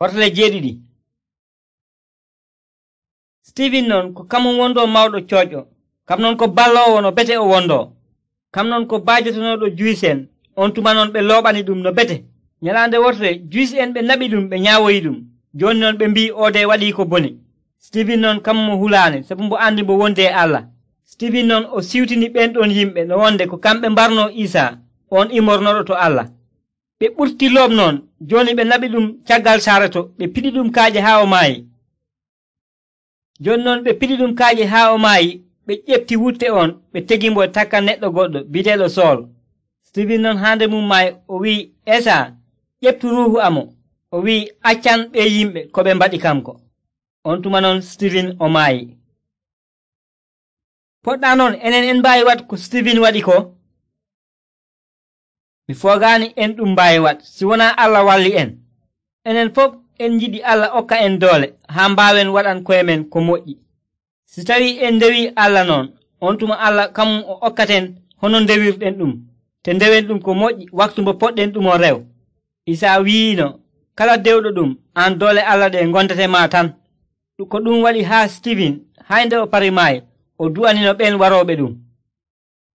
Wortale jeeɗiɗi. Stiiven non ko kamum wondoo mawɗo cooƴƴo, kam non ko balloowo no bete o wondoo, kam non ko baajotonooɗo Juyis'en, on tuma non ɓe looɓani ɗum no bete. Nyalaande wotere Juyis'en ɓe naɓi ɗum ɓe nyaawoyi ɗum, jooni non ɓe mbii oode waɗii ko bone. Stiiven non kamum mo hulaane sabu mbo andi mbo wondi e Allah. Stiiven non o siwtini ɓen ɗon yimɓe no wonde ko kamɓe mbarnoo Iisaa on imornoɗo to Allah. Ɓe ɓurti loob noon, jooni ɓe naɓi ɗum caggal saare to, ɓe piɗi ɗum kaaƴe haa o maayi. Jooni noon ɓe piɗi ɗum kaaƴe haa o maayi, ɓe ƴefti wutte on, ɓe tegimbo e takka neɗɗo goɗɗo bi'eteeɗo Sool. Stiiven non haa nde mum maayi o wi'i Eesaa, ƴeftu ruuhu amo. O wi'i accan ɓe yimɓe ko ɓe mbaɗi kanko. On tuma noon Stiiven o maayi. Poɗɗaa noon enen en mbaawi waɗ ko Stiiven waɗi ko? Mi foogaani en ɗum mbaawi waɗ si wonaa Allah walli en. Enen fof en njiɗi Allah okka en doole haa mbaawen waɗan koye men ko moƴƴi. Si tawii en ndewii Allah noon, on tuma Allah kamum o okkaten hono ndewirɗen ɗum, te ndewen ɗum ko moƴƴi waktu mo poɗɗen ɗumon rew. Isaa wi'iino, kala dewɗo ɗum, aan doole Allah ɗe ngondete ma tan. Ko ɗum waɗi haa Stiiven, haa nde o parii maayi, o du'anino ɓen warooɓe ɗum.